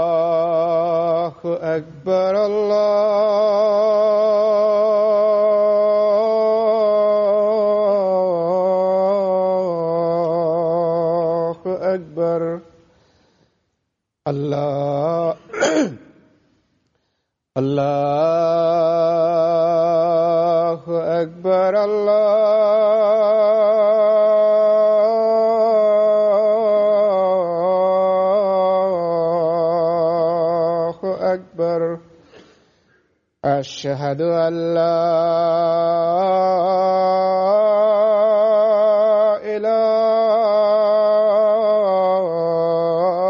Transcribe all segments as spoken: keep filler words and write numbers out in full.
الله أكبر الله أكبر الله الله أكبر الله أكبر أشهد أن لا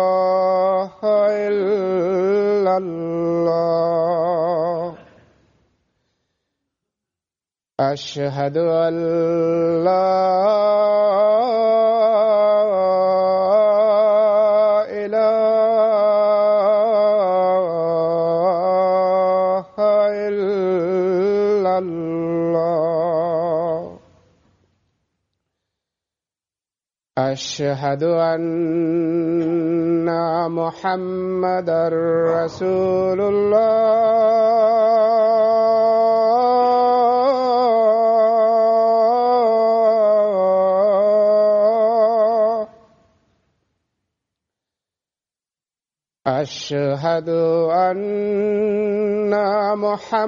إله إلا الله أشهد أن لا إله إلا الله أشهد أن محمدا رسول الله أشهد أن محمدا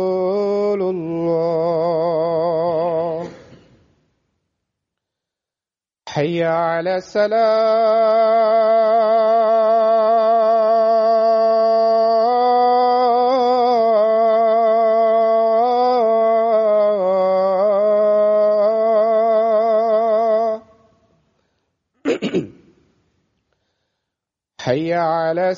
رسول الله حي على السلام حي على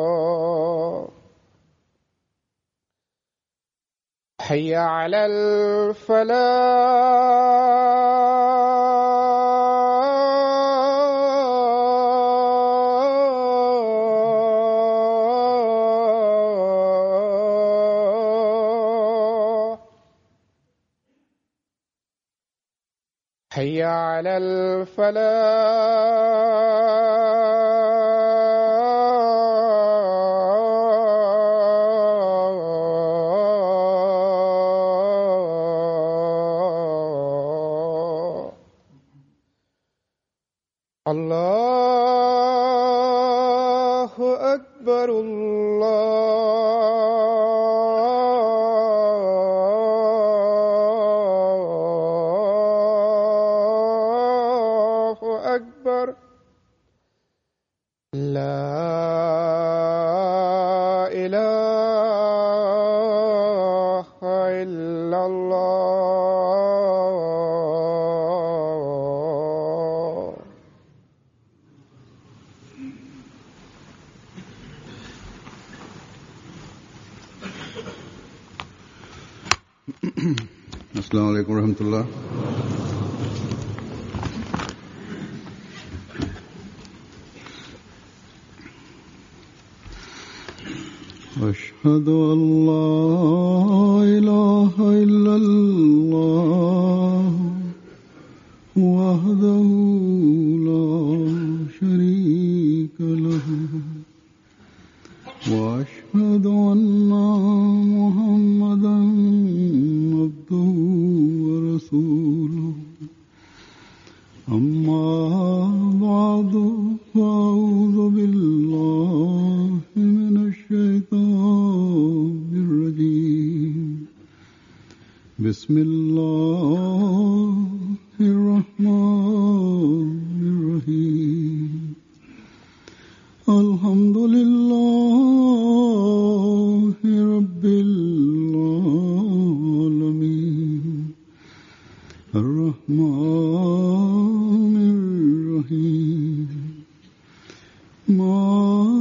السلام حي على الفلاح حي على الفلاح الله أكبر الله أكبر لا إله إلا الله السلام علیکم ورحمۃ اللہ۔ أشهد أن لا إله إلا الله وحده لا شريك له وأشهد أن محمدا عبده ورسوله أما بعد فأعوذ بالله من الشيطان الرجيم بسم الله الرحمن الرحيم الحمد لله رب العالمين الرحمن الرحيم مالك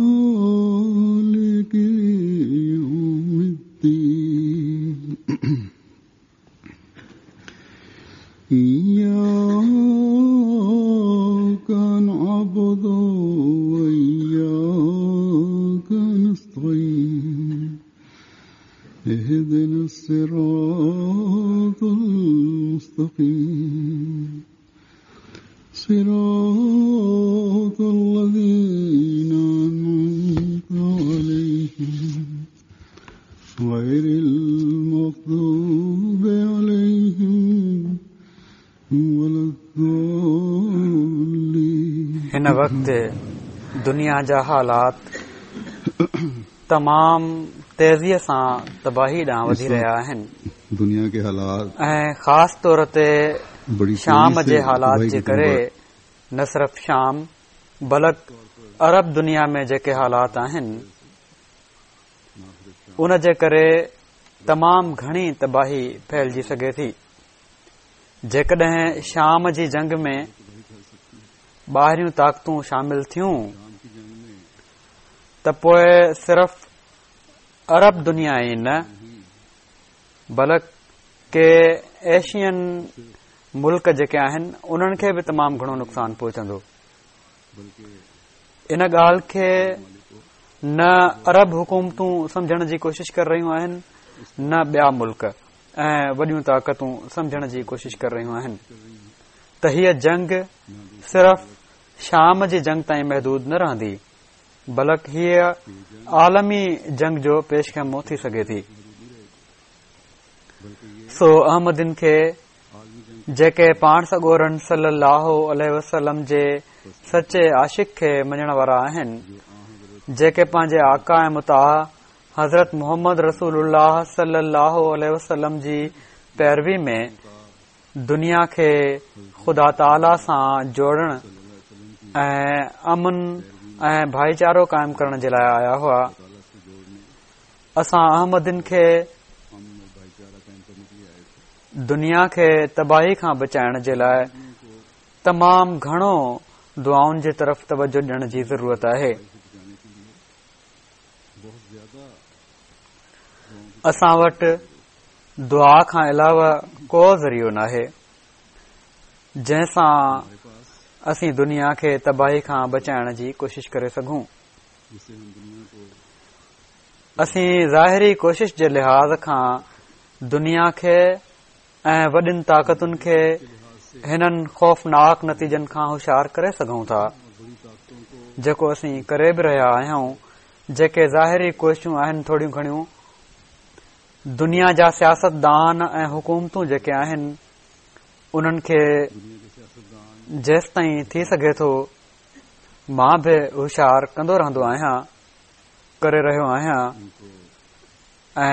يوم الدين إياك نعبد وإياك نستعين اهدنا الصراط المستقيم صراط الذين أنعمت عليهم غير المغضوب عليهم ولا الضالين. هن وقت دنيا جا حالات تمام تيزيءَ سان تباهي ڏانهن وڌي رهيا آهن. دنيا ڪي حالات ۽ خاص طور تي شام جي حالات جي ڪري نه صرف شام بلڪ عرب دنيا ۾ جيڪي حالات آهن ان جي ڪري تمام گهڻي تباهي ڦهلجي سگهي ٿي. جيڪڏهن شام جي جنگ ۾ ٻاهريون طاقتون شامل ٿيون ته پوءِ صرف عرب دنيا ئي نه بلڪ ڪي ايشين ملڪ جيڪي آهن انهن کي به تمام گهڻو نقصان پهچندو. ان ڳالهه کي نه عرب حڪومتون سمجهڻ جي ڪوشش ڪري رهيون آهن نه ٻيا ملڪ ۽ وڏيون طاقتون سمجهڻ جي ڪوشش ڪري رهيون آهن ته هيءَ جنگ صرف شام جي جنگ تائين محدود نه رهندي بلڪ هيءَ عالمي جنگ جو پيش خيمو ٿي سگهي ٿي. سو احمدين کي جيڪي پاڻ سڳورن صلي الله عليه وسلم جي سچي عاشق کي مڃڻ وارا آهن، جيڪي پنهنجي آقا ۽ مطاع حضرت محمد رسول الله صلي الله عليه وسلم جي پيروي ۾ دنيا کي خدا تعاليٰ سان جوڙڻ ۽ امن ۽ ڀائيچارو قائم ڪرڻ جي لاءِ آيا هئا، اسان احمدين کي دنيا کي تباهي کان بچائڻ جي لاءِ تمام گهڻو دعائن جي طرف توجه ڏيڻ جي ضرورت آهي. اسان وٽ دعا کان علاوه ڪو ذريعو ناهي جنهن سان اسين دنيا کي تباهي کان بچائڻ جي ڪوشش ڪري سگهون. اسين ظاهري ڪوشش جي لحاظ کان دنيا کي ۽ وڏين طاقتن کي هنن خوفناڪ نتيجن کان هوشيار ڪري سگهون ٿا، جيڪو اسين ڪري به رهيا آهيون. جيڪي ظاهري ڪوششون آهن ٿوريون گهڻيون دنيا جا سياستدان ۽ حڪومتون جيڪي آهن انهن کي جيستائين ٿي سگهي ٿو مان به هوشيار ڪندو رهندو آهيان، ڪري رهيو آهيان ۽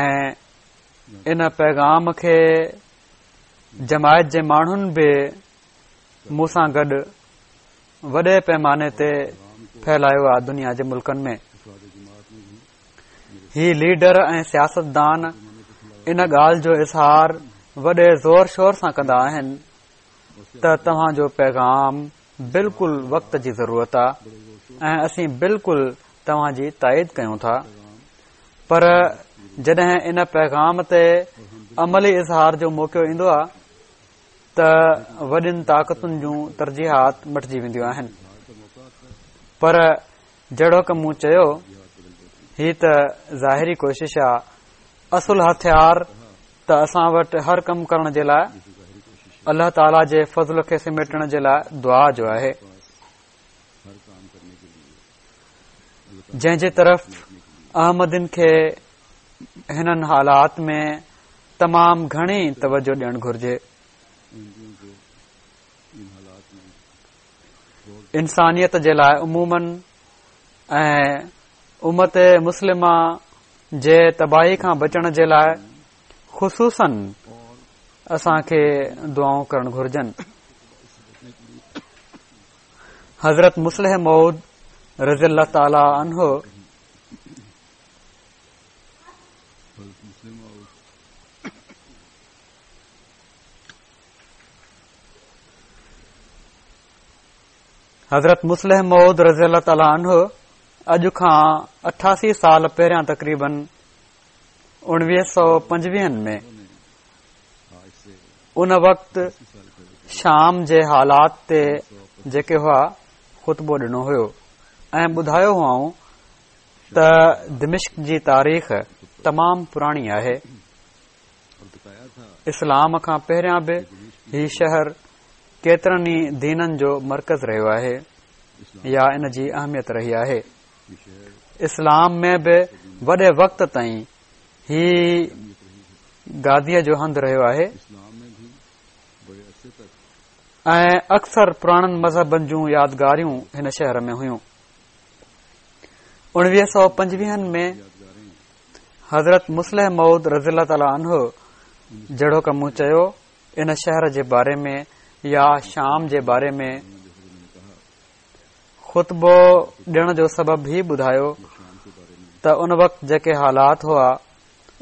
ان پيغام کي جماعت جي ماڻهن به مون سان گڏ وڏي پيماني تي ڦهلايو آهي دنيا جي ملڪن ۾. هي ليڊر ۽ سياستدان ان ڳالهه جو اظهار وڏي زور شور سان ڪندا آهن ته توهان جو پيغام بلڪل وقت جي ضرورت آهي ۽ اسين بلڪل توهان جي تائيد ڪيون ٿا، پر جڏهن ان پيغام تي عملي اظهار جو موقعو ايندو آهي ته وڏين طاقتن جون ترجيحات مٽجي وينديون آهن. پر جهڙوڪ مون چيو، هي ته ظاهري ڪوشش آهي، اصل هٿيار ته اسان وٽ هر ڪم ڪرڻ جي لاءِ الله تعاليٰ جي فضل کي سميٽڻ جي لاءِ دعا جو آهي، جنهن جي طرف احمدين کي هنن حالات ۾ تمام گهڻي توجه ڏيڻ گهرجي. انسانيت جي لاءِ عموماً ۽ امت مسلمه جي تباهي کان بچڻ جي لاءِ خصوصاً اسان کي دعائون ڪرڻ گهرجن. حضرت مصلح موعود رضي الله تعاليٰ عنه حضرت مصلح موعود رضي الله تعالٰي عنه اڄ کان اٺاسي سال پهريان تقريبن اڻويهه سؤ پنجويهن ۾ ان وقت شام جي حالات تي جيڪي هئا خطبو ڏنو هيو ۽ ٻڌايو هئائون ته دمشق جي تاريخ تمام پراڻي آهي. اسلام کان پهريان به هي شهر ڪيترن ئي دينن جو مرڪز رهيو آهي يا ان جي اهميت رهي آهي. اسلام ۾ به وڏي وقت تائين هي گاديءَ جو هنڌ رهيو آهي ۽ اڪثر پراڻن مذهبن جون يادگاريون هن شهر ۾ هيون. اڻويهه سؤ پنجويهن ۾ حضرت مصلح موعود رضي الله تعالٰي عنه جهڙوڪ مون چيو ان شهر جي باري ۾ يا شام جي باري ۾ خطبو ڏيڻ جو سبب هي ٻڌايو ته ان وقت جيڪي حالات هئا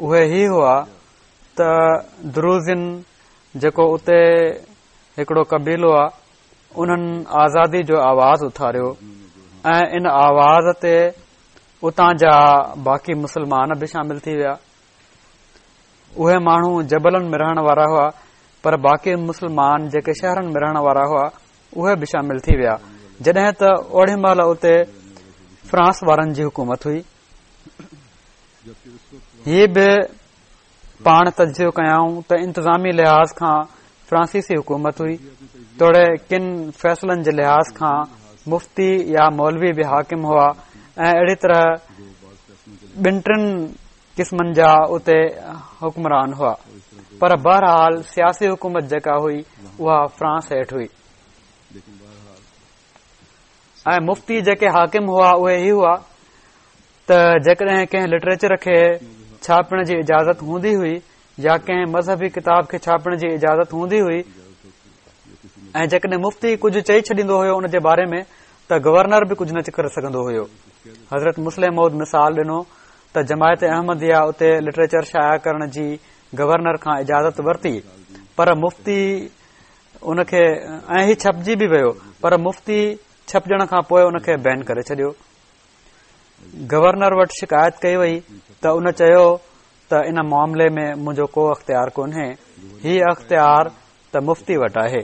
اهي هي هئا ته دروزين جيڪو اتي هڪڙو قبيلو آ انهن آزادي جو آواز اٿاريو ۽ ان آواز تي اتان جا باقي مسلمان به شامل ٿي ويا. اهي ماڻهو جبلن ۾ رهڻ وارا هئا پر باقي مسلمان جيڪي شهرن ۾ رهڻ وارا هئا اهي به شامل ٿي ويا. جڏهن ته اوڙي مهل اتي فرانس وارن جي حڪومت هئي. هي به پاڻ تجزيو ڪيائون ته انتظامي لحاظ کان فرانسيسي حڪومت هئي، توڙي ڪن فيصلن جي لحاظ کان مفتي يا مولوي به حاڪم هئا ۽ اهڙي طرح ٻن ٽن قسمن جا اتي حڪمران هئا، پر بهرحال سياسي حڪومت جيڪا هئي اها فرانس هيٺ هئي ۽ مفتي جيڪي حاڪم هئا اهي هي هئا ته جيڪڏهن ڪنهن لٽريچر کي ڇاپڻ جي اجازت هوندي هئي يا ڪنهن مذهبي ڪتاب کي ڇاپڻ جي اجازت هوندي هئي ۽ جيڪڏهن مفتي ڪجهه چئي ڇڏيندو هيو ان جي باري ۾ ته گورنر به ڪجهه نه ڪري سگهندو هيو. حضرت مصلح موعود مثال ڏنو ته جماعت احمديه اتي لٽريچر شايع ڪرڻ جي گورنر کان اجازت ورتي، پر مفتي ان کي ۽ هي ڇپجي به ويو، پر مفتي ڇپجڻ کان پوءِ ان کي بين ڪري ڇڏيو. گورنر وٽ شڪايت ڪئي وئي ته ان چيو ته ان معاملي ۾ منهنجو ڪو اختيار ڪونهي، هي اختيار ته مفتي وٽ آهي.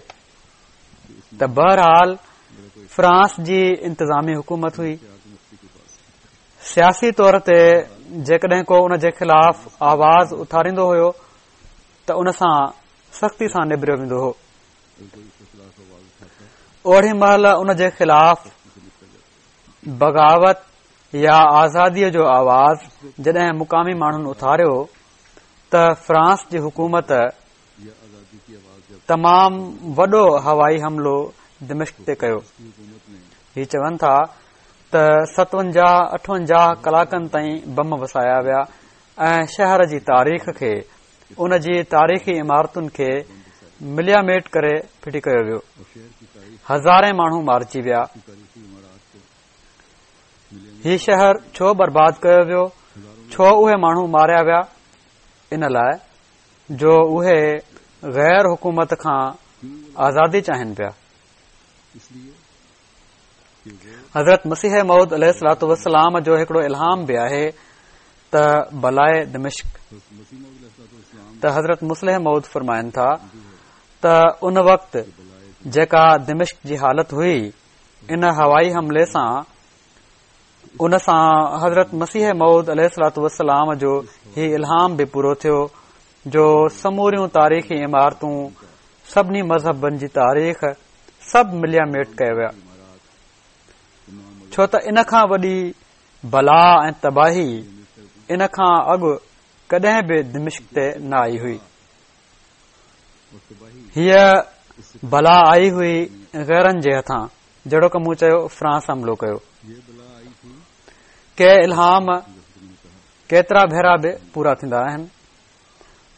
ته بهرحال فرانس جي انتظامي حڪومت هئي. سياسي طور تي جيڪڏهن ڪو ان جي خلاف آواز اٿاريندو هيو ته ان سان سختي سان نبريو ويندو هو. اوڙي مهل ان جي خلاف بغاوت يا آزاديءَ جو آواز جڏهن مقامي ماڻهن اٿاريو ته فرانس جي حڪومت تمام وڏو هوائي حملو دمشق تي ڪيو. هي چون ٿا ته ستونجاهه اٺونجاهه ڪلاڪن تائين بم وسايا ويا ۽ شهر جي تاريخ کي ان جي تاريخي عمارتن کي ملياميٽ ڪري ڦٽي ڪيو ويو. هزارين ماڻهو مارجي ويا. هي شهر ڇو برباد ڪيو ويو؟ ڇو اهي ماڻهو ماريا ويا؟ ان لاءِ جو اهي غير حڪومت کان آزادي چاهين پيا. حضرت مسيح موعود عليه الصلوة والسلام جو هڪڙو الهام به آهي ته بلائي دمشق. ته حضرت مصلح موعود فرمائن ٿا ته ان وقت جيڪا دمشق جي حالت هئي ان هوائي حملي سان ان سان حضرت مسيح موعود عليه الصلوة والسلام جو هي الهام به پورو ٿيو جو سموريون تاريخي عمارتون سڀني مذهبن جي تاريخ سڀ مليا ميٽ ڪيا ويا، ڇو ته ان کان وڏي بلا ۽ تباهي ان کان اڳ ڪڏهن به دمشق تي نه آئي هئي. هيءَ بلا آئي هئي غيرن جي هٿان، جهڙوڪ مون چيو فرانس حملو ڪيو. ڪي الهام ڪيترا ڀيرا به پورا ٿيندا آهن.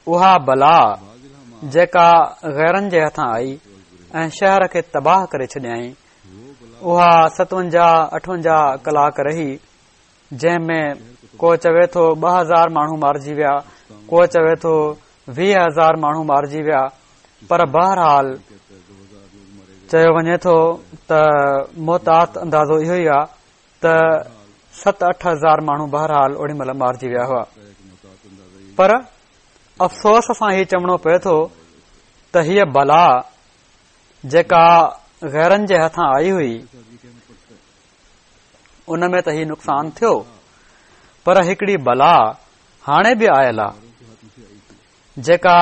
اها بلا جيڪا غيرن جي هٿان آئي ۽ شهر کي تباهه ڪري ڇڏيائين، اها ستونجاهه اٺونجاهه ڪلاڪ رهي، جنهن ۾ ڪو چوي ٿو ٻه هزار ماڻهو مارجي ويا، ڪو چوي ٿو ويهه هزار ماڻهو مارجي ويا، پر بهرحال چيو وڃي ٿو ته محتاط اندازو اهو ئي آهي ته ست اٺ هزار ماڻهو بهرحال اوڏي مهل مارجي ويا هئا. پر افسوس سان هي چوڻو پئي ٿو ته هيء بلا جيڪا غيرن جي هٿان آئي هئي ان ۾ ته هي نقصان ٿيو، پر هڪڙي بلا هاڻي به آيل آهي جيڪا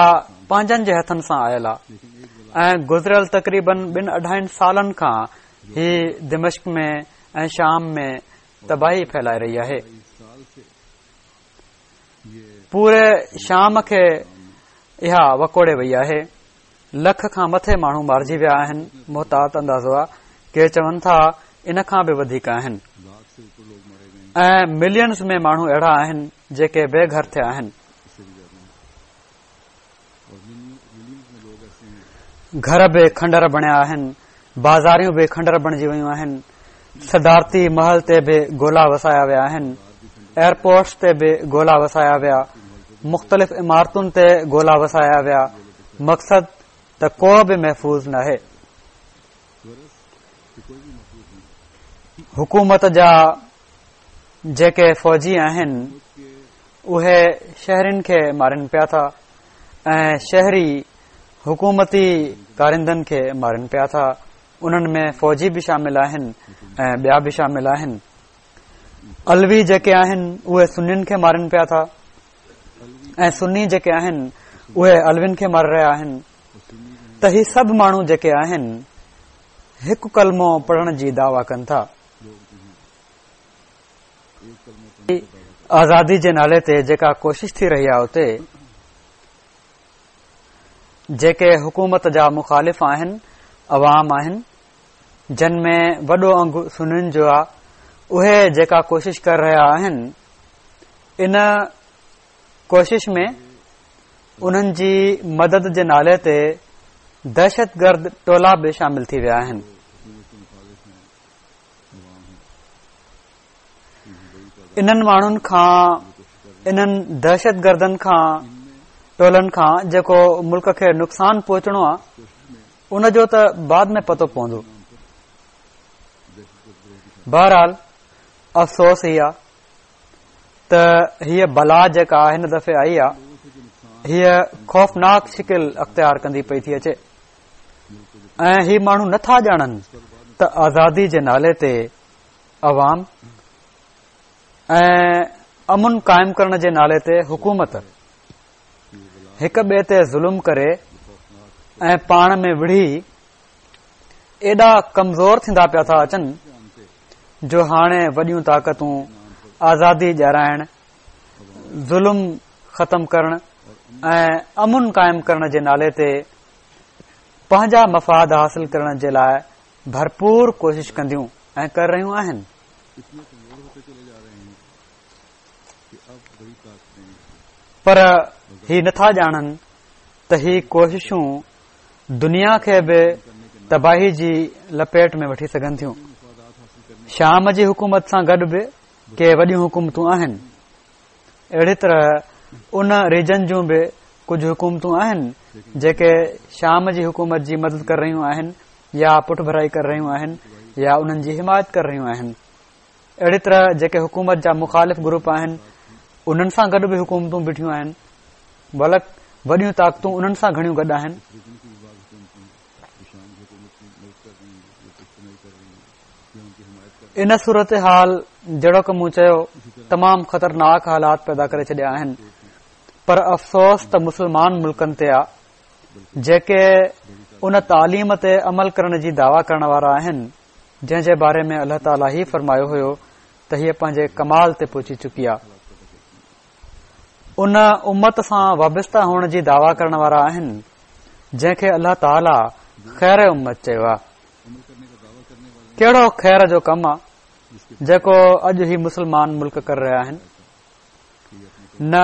پنهنجن جي هٿن سان آيل آهي ۽ گذريل تقريبن ٻن اڍائن سالن کان هي دمشق ۾ ۽ شام ۾ تباهي ڦهلائي رهي آهي. پوري شام کي اها وڪوڙي وئي آهي. لک کان مٿي ماڻهو مارجي ويا آهن، محتاط اندازو آهي، ڪي چون ٿا ان کان به وڌيڪ آهن ۽ ملينز ۾ ماڻهو اهڙا آهن جيڪي بي گهر ٿيا آهن. گهر به کنڊر بڻيا آهن، بازاريون به کنڊر بڻجي ويون آهن، صدارتي محل تي به گولا وسايا ويا آهن، ايئرپورٽس تي به گولا وسايا ويا، مختلف عمارتن تي گولا وسايا ويا. مقصد ته ڪو به محفوظ ناهي. حڪومت جا جيڪي فوجي آهن اهي شهرين کي مارين پيا ٿا ۽ شهري حڪومتي ڪارندن کي مارين پيا ٿا. انهن ۾ فوجي به شامل آهن ۽ ٻيا به شامل آهن. علوي جيڪي آهن اهي سنين کي مارين پيا ٿا ۽ سني جيڪي آهن اهي علوين کي ماري رهيا آهن. ته هي سڀ ماڻهو جيڪي آهن هڪ ڪلمو پڙهڻ جي دعويٰ ڪن ٿا. آزادي جي نالي تي جيڪا ڪوشش ٿي رهي آهي اتي جيڪي حڪومت جا مخالف آهن، عوام آهن، جن ۾ وڏو انگ سنين جو آهي، اهي جيڪا ڪوشش ڪري رهيا آهن ان ڪوشش ۾ انهن جي مدد جي نالي تي دهشتگرد ٽولا به شامل ٿي ويا آهن. انهن ماڻهن کان، انهن دهشتگردن کان، ٽولن کان جيڪو ملڪ کي نقصان پهچڻو آهي ان جو ته بعد ۾ پتو پوندو. بهرحال افسوس هي آهي ته هيء بلا جيڪا هن دفعي آئي آهي هيء خوفناڪ شڪل اختيار ڪندي پئي ٿي اچي ۽ هي ماڻهو نٿا ڄاڻن ته آزادي جي نالي تي عوام ۽ امن قائم ڪرڻ جي نالي تي حڪومت هڪ ٻئي تي ظلم ڪري ۽ پاڻ ۾ وڙهي ايڏا ڪمزور ٿيندا پيا ٿا اچن جو هاڻي وڏيون طاقتون آزادي ڏيارائڻ، ظلم ختم ڪرڻ ۽ امن قائم ڪرڻ جي نالي تي پنهنجا مفاد حاصل ڪرڻ جي لاء ڀرپور ڪوشش ڪنديون ۽ ڪري رهيون آهن. پر هي نٿا ڄاڻن ته هي ڪوششون دنيا کي به تباهي جي لپيٽ ۾ وٺي سگهن ٿيون. شام جي حڪومت سان گڏ به ڪي وڏيون حڪومتون آهن. اهڙي طرح ان ريجن جون به ڪجهه حڪومتون آهن جيڪي شام جي حڪومت جي مدد ڪري رهيون آهن يا پٺڀرائي ڪري رهيون آهن يا انهن جي حمايت ڪري رهيون آهن. اهڙي طرح جيڪي حڪومت جا مخالف گروپ آهن انهن سان گڏ به حڪومتون بيٺيون آهن، بلڪ وڏيون طاقتون انهن سان گهڻيون گڏ آهن. ان صورتحال جهڙوڪ مون چيو تمام خطرناڪ حالات پيدا ڪري ڇڏيا آهن، پر افسوس ته مسلمان ملڪن تي آ جيڪي ان تعليم تي عمل ڪرڻ جي دعويٰ ڪرڻ وارا آهن، جنهن جي باري ۾ الله تعاليٰ هي فرمايو هيو ته هيء پنهنجي ڪمال تي پهچي چڪي آ. ان امت سان وابسته هئڻ جي دعويٰ ڪرڻ وارا آهن جنهن کي الله تعاليٰ خير امت چيو آ. ڪهڙو خير جو ڪم آ جيڪو اڄ هي مسلمان ملڪ ڪري رهيا آهن؟ نه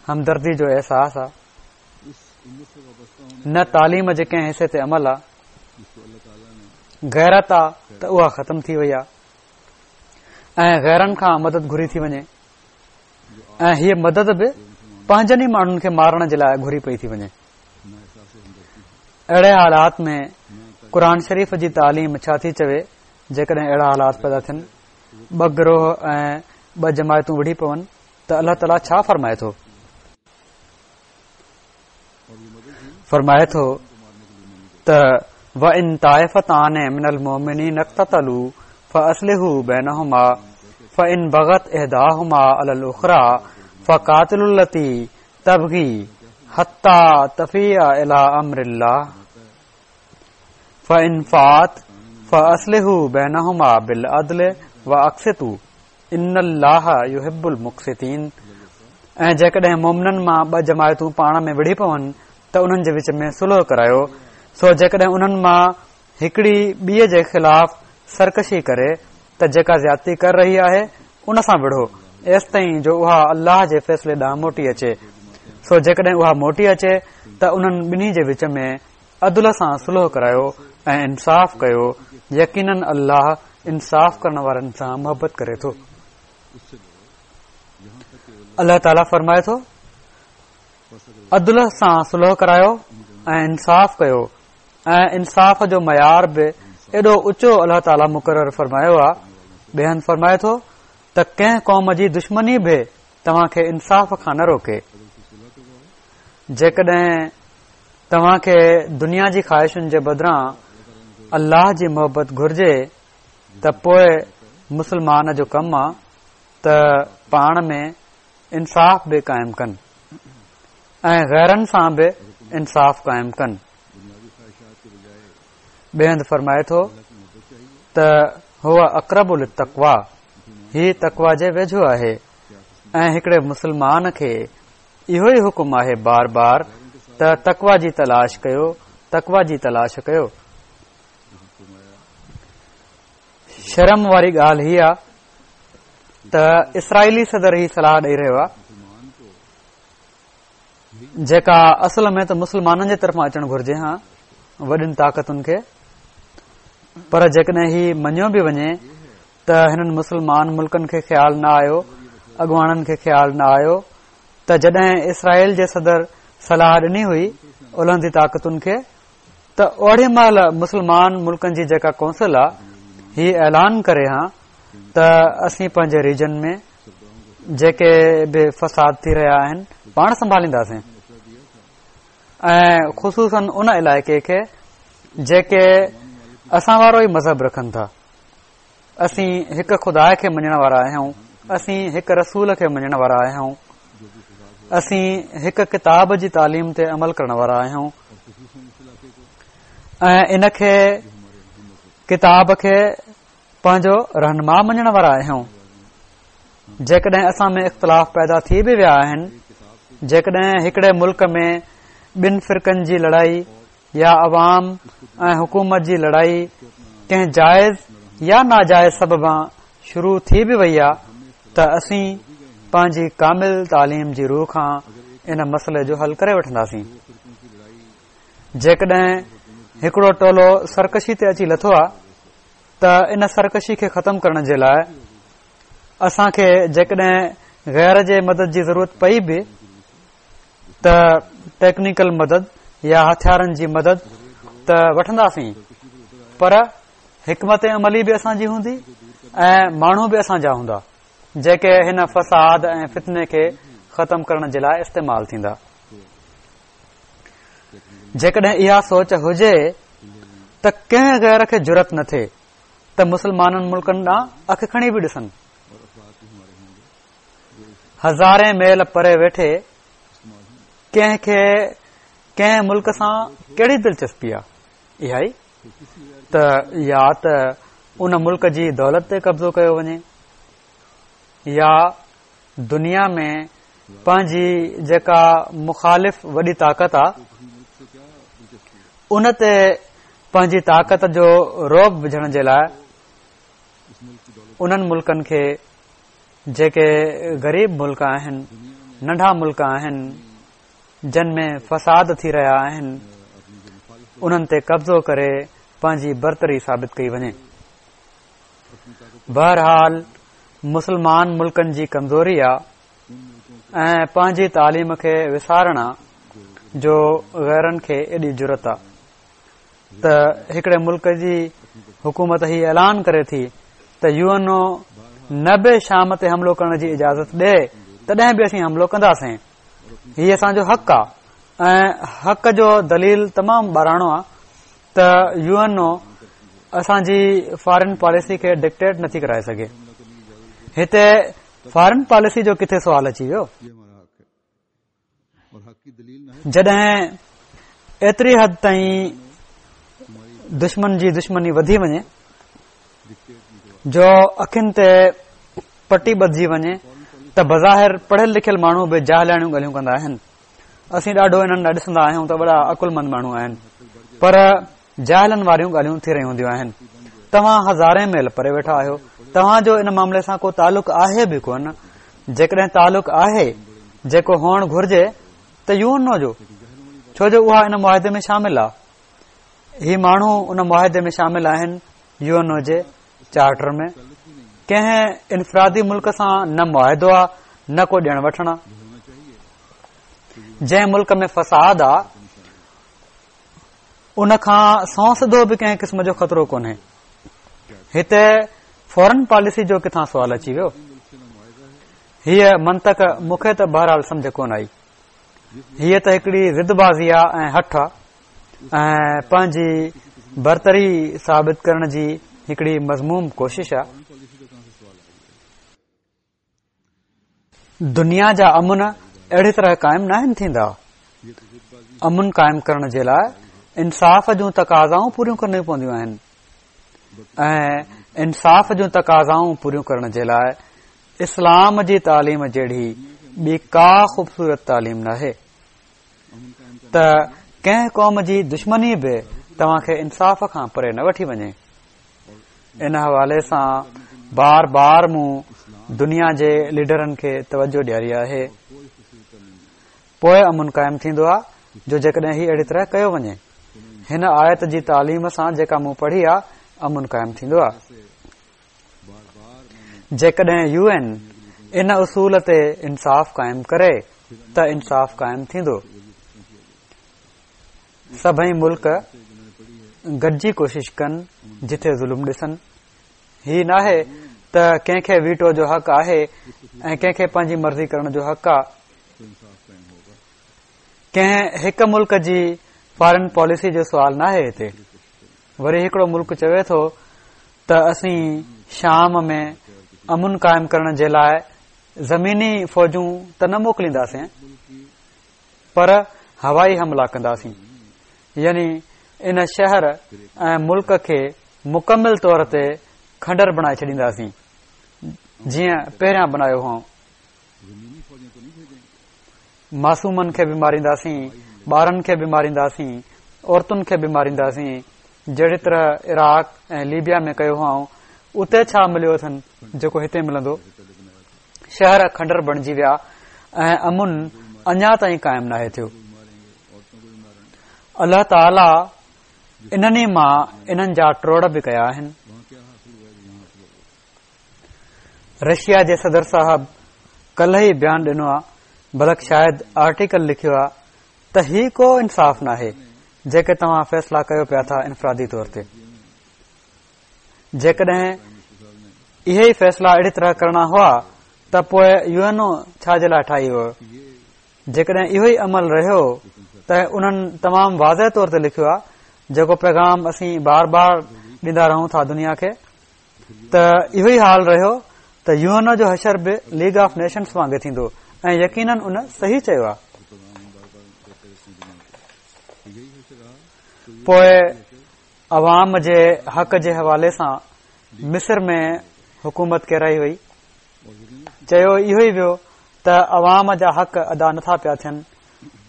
همدردي جو احساس آ، نه تعليم جي ڪنهن حصي تي عمل آ. غيرت آ ته اها ختم ٿي وئي آ ۽ غيرن کان مدد گهري ٿي وڃي ۽ هيء مدد به پنهنجن ئي ماڻهن کي مارڻ جي لاء گهري پئي ٿي وڃي. اهڙي حالات ۾ قرآن شريف جي تعليم ڇا ٿي چوي؟ جيڪڏهن اهڙا حالات پيدا ٿين، ٻه گروهه ۽ ٻه جماعتون وڙهي پون ته الله تعاليٰ ڇا فرمائي ٿو؟ فرمائي ٿو ته وَإِن طائفتان من المؤمنين اقتتلوا فأصلحوا بينهما فإن بغت إحداهما على الأخرى فقاتلوا التي تبغي حتى تفيء إلى أمر الله فإن فاءت فأصلحوا بينهما بالعدل وأقسطوا إن الله يحب المقسطين. ۽ جيڪڏهن مومنن مان ٻه جماعتون پاڻ ۾ وڙهي پون ته انهن جي وچ ۾ صلح ڪرايو. سو جيڪڏهن انهن مان هڪڙي ٻئي جي خلاف سرڪشي ڪري ته جيڪا زيادتي ڪري رهي آهي ان سان وڙهو ايستائين جو اها الله جي فيصلي ڏانهن موٽي اچي. سو جيڪڏهن اها موٽي اچي ته انهن ٻنهي جي وچ ۾ عدل سان صلح ڪرايو ۽ انصاف ڪيو، يقيناً الله انصاف ڪرڻ وارن سان محبت ڪري ٿو. الله تعاليٰ فرمائي ٿو عدل سان صلح ڪرايو ۽ انصاف ڪيو، ۽ انصاف جو معيار به ايڏو اوچو الله تعاليٰ مقرر فرمايو آهي. ٻئي هنڌ فرمائي ٿو ته ڪنهن قوم جي دشمني به توهان کي انصاف کان نه روڪي. جيڪڏهن توهان کي دنيا جي خواهشن جي بدران الله جي محبت گهرجي ته پوء مسلمان جو ڪم آ ته پاڻ ۾ انصاف به قائم ڪن ۽ غيرن سان به انصاف قائم ڪن. ٻئي هنڌ فرمائي ٿو ته هو اقرب للتقويٰ، هي تقويٰ جي ويجهو آهي. ۽ هڪڙي مسلمان کي اهو ئي حڪم آهي بار بار ته تقويٰ جي تلاش ڪيو، تقويٰ جي تلاش ڪيو. شرم واري ڳالهه هي آ ته اسرائيلي صدر هي صلاح ڏئي رهيو آ جيڪا اصل ۾ ته مسلمانن جي طرفان اچڻ گهرجي ها وڏين طاقتن کي، پر جيڪڏهن هي مڃيو به وڃي ته هنن مسلمان ملڪن کي خيال نه آيو، اڳواڻن کي خيال نه آيو ته جڏهن اسرائيل جي صدر صلاح ڏني هئي الهندي طاقتن کي ته اوڙي مهل مسلمان ملڪن جي جيڪا ڪونسل آ هي اعلان ڪري ها ته اسين پنهنجي ريجن ۾ جيڪي به فساد ٿي رهيا آهن پاڻ سنڀالينداسين، ۽ خصوصاً ان علائقي کي جيڪي اسان وارو ئي مذهب رکن ٿا. اسين هڪ خدا کي مڃڻ وارا آهيون، اسين هڪ رسول کي مڃڻ وارا آهيون، اسين هڪ ڪتاب جي تعليم تي عمل ڪرڻ وارا آهيون، ۽ ان کي ڪتاب کي پنهنجو رهنما مڃڻ وارا آهيون. جيڪڏهن اسان ۾ اختلاف پيدا ٿي به ويا آهن، جيڪڏهن هڪڙي ملڪ ۾ ٻن فرقن جي لڙائي يا عوام ۽ حڪومت جي لڙائي ڪنهن جائز يا ناجائز سببان شروع ٿي به وئي آ ته اسين پنهنجي ڪامل تعليم جي روح کان ان مسئلي جو حل ڪري وٺنداسين. جيڪڏهن هڪڙو ٽولو سرڪشي تي اچي لٿو آ ته ان سرڪشي کي ختم ڪرڻ جي لاء اسان کي جيڪڏهن غير جي مدد جي ضرورت پئي به ته ٽيڪنيڪل مدد يا هٿيارن جي مدد ته وٺنداسين، پر حڪمت عملي به اسان جي هوندي ۽ ماڻهو به اسان جا هوندا جيڪي هن فساد ۽ فتني کي ختم ڪرڻ جي لاء استعمال ٿيندا. جيڪڏهن اها سوچ هجي ته ڪنهن غير کي جرئت نه ٿئي ته مسلمانن ملڪن ڏانهن اک کڻي به ڏسن. هزارين ميل پري ويٺي ڪنهن کي ڪنهن ملڪ سان ڪهڙي دلچسپي آ؟ اها ئي ته يا ته ان ملڪ جي دولت تي قبضو ڪيو وڃي يا دنيا ۾ پنهنجي جيڪا مخالف وڏي طاقت آ ان تي پنهنجي طاقت جو رعب وجهڻ جي لاء انهن ملڪن کي جيڪي غريب ملڪ آهن، ننڍا ملڪ آهن، جن ۾ فساد ٿي رهيا آهن، انهن تي قبضو ڪري پنهنجي برتري ثابت ڪئي وڃي. بهرحال مسلمان ملڪن جي ڪمزوري آ ۽ پنهنجي تعليم کي وسارڻ آ جو غيرن کي ايڏي جرئت آ. ته هڪڙي ملڪ جي حڪومت هي اعلان ڪري ٿي ته يو اين او نه به شام تي حملو ڪرڻ جي اجازت ڏي تڏهن به اسين حملو ڪنداسين. هي اسان جو حق آهي ۽ حق جو دليل تمام ٻاراڻو آهي ته يو اين او اسان جي فارن پاليسي کي ڊڪٽيٽ نٿي ڪرائي سگهي. هتي فارن پاليسي جو ڪٿي سوال اچي ويو؟ جڏهن ايتري حد تائين دشمن جي دشمني وڌي وڃي جو اکين تي پٽي ٻڌجي وڃي ته بظاهر پڙهيل لکيل ماڻهو به جاهلاڻيون ڳالهيون ڪندا آهن. اسين ڏاڍو انهن ڏانهن ڏسندا آهيون ته وڏا عقلمند ماڻهو آهن، پر جاهلن واريون ڳالهيون ٿي رهيون هونديون آهن. توهان هزارين ميل پري ويٺا آهيو، توهان جو ان معاملي سان ڪو تعلق آهي به ڪونه. جيڪڏهن تعلق آهي جيڪو هئڻ گهرجي ته يو اين او جو، ڇو جو اها ان معاهدي ۾ شامل آهي. هي ماڻهو ان معاهدي ۾ شامل آهن يو اين او جي چارٽر ۾. ڪنهن انفرادي ملڪ سان نه معاهدو آهي نه ڪو ڏيڻ وٺڻ آهي. جنهن ملڪ ۾ فساد آهي ان کان سنئون سڌو به ڪنهن قسم جو خطرو ڪونهي. هتي فارن پاليسي جو ڪٿان سوال اچي ويو؟ هيء منطق مون کي ته بهرحال سمجهه ڪونه آئي. هيء ته هڪڙي ضد بازي آهي ۽ هٺ آهي ۽ پنهنجي برتري ثابت ڪرڻ جي هڪڙي مذموم ڪوشش آهي. دنيا جا امن اهڙي طرح قائم ناهن ٿيندا. امن قائم ڪرڻ جي لاءِ انصاف جون تقاضائون پوريون ڪرڻيون پونديون آهن ۽ انصاف جون تقاضائون پوريون ڪرڻ جي لاءِ اسلام جي تعليم جهڙي ٻي ڪا خوبصورت تعليم ناهي ته ڪنهن قوم جي دشمني به توهان کي انصاف کان پري نه وٺي وڃي. ان حوالي سان بار بار مون دنيا جي ليڊرن کي توجه ڏياري آهي. پوءِ امن قائم ٿيندو آهي جو جيڪڏهن هي اهڙي طرح ڪيو وڃي. هن آيت جي تعليم سان جيڪا مون پڙهي آهي امن قائم ٿيندو آهي. جيڪڏهن يو اين ان اصول تي انصاف قائم ڪري ته انصاف قائم ٿيندو. سڀئي ملڪ گڏجي ڪوشش ڪن جٿي ظلم ڏسن. هي ناهي ته ڪنهن کي ويٽو جو حق آهي ۽ ڪنهن کي پنهنجي مرضي ڪرڻ جو حق آهي. ڪنهن هڪ ملڪ جي فارن پاليسي جو سوال ناهي هتي. وري هڪڙو ملڪ چوي ٿو ته اسين شام ۾ امن قائم ڪرڻ جي لاءِ زميني فوجون ته نه موڪلينداسين پر هوائي حملا ڪنداسين، يعني ان شهر ۽ ملڪ کي مڪمل طور تي کنڊر بڻائي ڇڏينداسين جيئن پهريان بڻايو هئائون. معصومن کي به مارينداسين، ٻارن کي به مارينداسين، عورتن کي به مارينداسين، جهڙي طرح عراق ۽ ليبيا ۾ ڪيو هئائون. اتي ڇا مليو اٿن جيڪو هتي ملندو؟ شهر کنڊر بڻجي ويا ۽ امن اڃا تائين قائم ناهي ٿيو. الله تعاليٰ انهن ئي مان انهن جا ٽوڙ به ڪيا آهن. رشيا جي صدر صاحب ڪلهه ئي بيان ڏنو آهي، بلڪ شايد آرٽيڪل لکيو آهي ته هي ڪو انصاف ناهي جيڪي توهان فيصلا ڪيو پيا ٿا انفرادي طور تي. جيڪڏهن اهي ئي فيصلا اهڙي طرح ڪرڻا هئا ته پوءِ يو اين او ڇا جي لاءِ ٺاهي ويو؟ جيڪڏهن اهو ئي عمل رهيو ته انهن تمام واضح طور تي لکيو آهي، جيڪو پيغام اسين بار بار ڏيندا رهون ٿا دنيا کي، ته اهو ئي حال رهيو ته يو اين او جو حشر به ليگ آف نيشنز وانگي ٿيندو ۽ يقينن ان صحيح چيو آهي. پوءِ عوام جي حق جي حوالي سان مصر ۾ حڪومت ڪيرائي وئي. چيو اهو ئي ويو ته عوام جا حق ادا نٿا پيا ٿين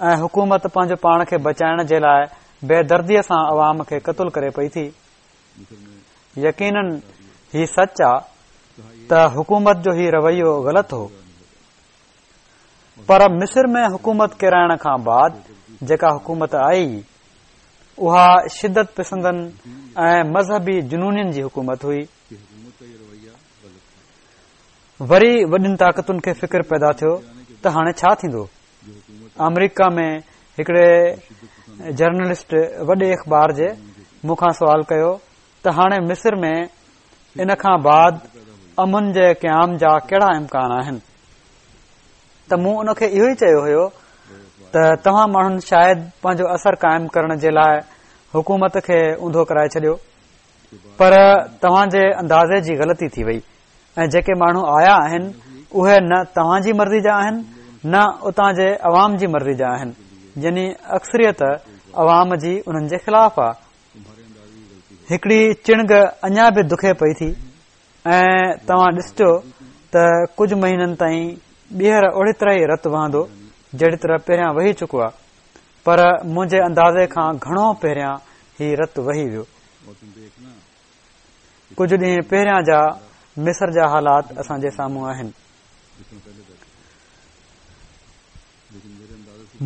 ۽ حڪومت پنهنجو پاڻ کي بچائڻ جي لاءِ بيدرديءَ سان عوام کي قتل ڪري پئي ٿي. يقينن هي سچ آهي ته حڪومت جو هي رويو غلط هو، پر مصر ۾ حڪومت ڪيرائڻ کان بعد جيڪا حڪومت آئي اها شدت پسندن ۽ مذهبي جنونين جي حڪومت هئي. وري وڏين طاقتن کي فڪر پيدا ٿيو ته هاڻي ڇا ٿيندو. آمريڪا ۾ هڪڙي جرنلسٽ وڏي اخبار جي مون کان سوال ڪيو ته هاڻي مصر ۾ ان کان بعد امن جي قيام جا ڪهڙا امڪان آهن؟ ته مون ان کي اهو ئي چيو هيو ته توهان ماڻهن شايد پنهنجو اثر قائم ڪرڻ جي لاء حڪومت کي اونڌو ڪرائي ڇڏيو، پر توهان جي اندازي جي غلطي ٿي وئي ۽ جيڪي ماڻهو آيا آهن اهي نه توهان جي مرضي جا آهن نه اتان جي عوام جي مرضي جا آهن، يعني اڪثريت عوام جي انهن جي خلاف آ. هڪڙي چڻگ اڃا به دکي پئي ٿي ۽ توهان ڏسجو ته ڪجهه مهينن تائين ٻيهر اوڙي طرح ئي رت وهندو جهڙي طرح پهريان وهي چڪو آ، پر منهنجي اندازي کان گهڻو پهريان هي رت وهي ويو. ڪجهه ڏينهن پهريان جا مصر جا حالات اسان جي سامهون آهن.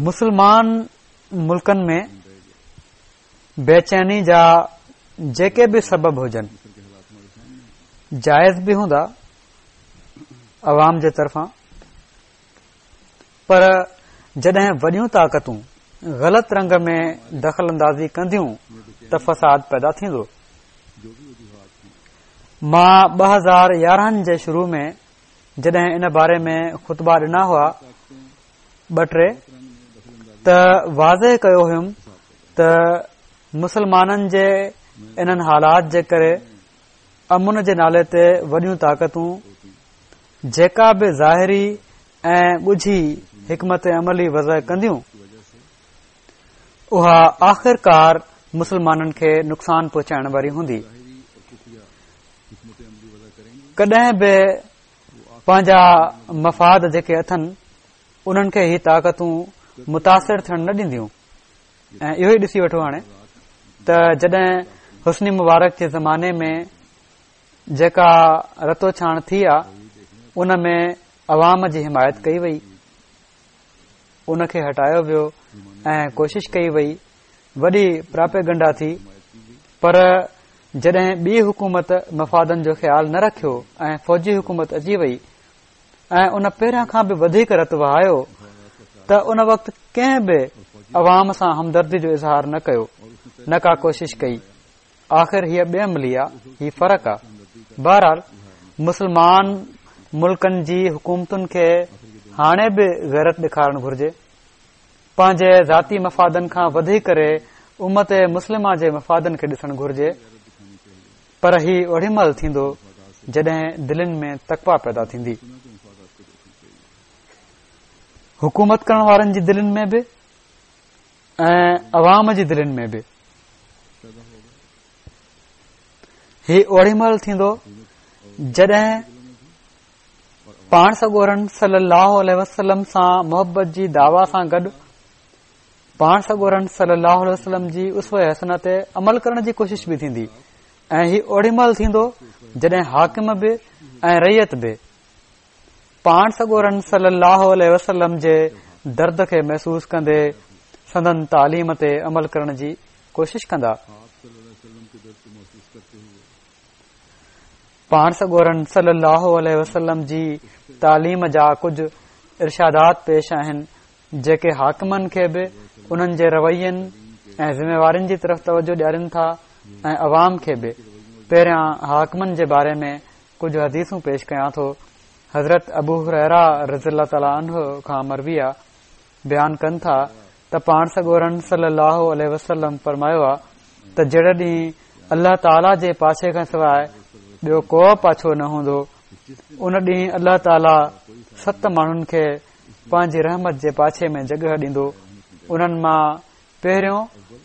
مسلمان ملڪن ۾ بيچيني جا جيڪي به سبب هجن جائز به هوندا عوام جي طرفان، پر جڏهن وڏيون طاقتون غلط رنگ ۾ دخل اندازي ڪنديون ته فساد پيدا ٿيندو. مان ٻه هزار يارهن جي شروع ۾ جڏهن ان باري ۾ خطبا ڏنا هئا ٻه ٽي، ته واضح ڪيو هيم ته مسلمانن جي انهن حالات جي ڪري امن جي نالي تي وڏيون طاقتون جيڪا به ظاهري ۽ ڳجهي حڪمت عملي وضع ڪنديون اها آخرڪار مسلمانن کي نقصان پهچائڻ واري هوندي. ڪڏهن به پنهنجا مفاد جيڪي اٿن انهن کي هي طاقتون متاثر ٿيڻ نه ڏينديون. ۽ اهو ئي ڏسي وٺو هاڻي ته جڏهن حسني مبارڪ جي زماني ۾ جيڪا رتوڇاڻ ٿي آ ان ۾ عوام جي حمايت ڪئي وئي، ان کي هٽايو ويو ۽ ڪوشش ڪئي وئي، وڏي پراپيگنڊا ٿي، پر جڏهن ٻي حڪومت مفادن جو خيال نه رکيو ۽ فوجي حڪومت اچي وئي ۽ ان پهريان کان به وڌيڪ رت وهايو ته ان وقت ڪنهن به عوام سان همدردي جو اظهار نه ڪيو، نه ڪا ڪوشش ڪئي. آخر هيء بي عملي آ، هي فرق آ. بهرحال مسلمان ملڪن جي حڪومتن کي هاڻي به غيرت ڏيکارڻ گهرجي، پنهنجي ذاتي مفادن کان وڌي ڪري امت مسلمه جي مفادن کي ڏسڻ گهرجي، پر هي اوڏي مهل ٿيندو جڏهن دلين ۾ تقويٰ پيدا ٿيندي، حڪومت ڪرڻ وارن جي دلين ۾ به ۽ عوام جي دلين ۾ به. هي اوڏي مهل ٿيندو جڏهن پاڻ سڳورن صلي الله عليه وسلم سان محبت جي دعويٰ سان گڏ پاڻ سڳورن صلي الله عليه وسلم جي اسوه حسنه تي عمل ڪرڻ جي ڪوشش به ٿيندي، ۽ هي اوڏي مهل ٿيندو جڏهن حاڪم به ۽ رعيت به پاڻ سڳورن صلي الله عليه وسلم جي درد کي محسوس ڪندي سندن تعليم تي عمل ڪرڻ جي ڪوشش ڪندا. پاڻ سڳورن صلي الله عليه وسلم جي تعليم جا ڪجهه ارشادات پيش آهن جيڪي حاڪمن کي به انهن جي روين ۽ ذميوارين جي طرف توجه ڏيارين ٿا ۽ عوام کي به. پهريان حاڪمن جي باري ۾ ڪجهه حديثون پيش ڪيان ٿو. حضرت ابو هريره رضي الله تعالٰي عنه کان مروي آ، بيان ڪن ٿا ته پاڻ سڳورن صلي الله عليه وسلم فرمايو آ ته جهڙي ڏينهن الله تعاليٰ جي پاڇي کان سواء ٻيو ڪو پاڇو نه هوندو، ان ڏينهن الله تعاليٰ ست ماڻهن کي پنهنجي رحمت جي پاڇي ۾ جڳهه ڏيندو. انهن مان پهريون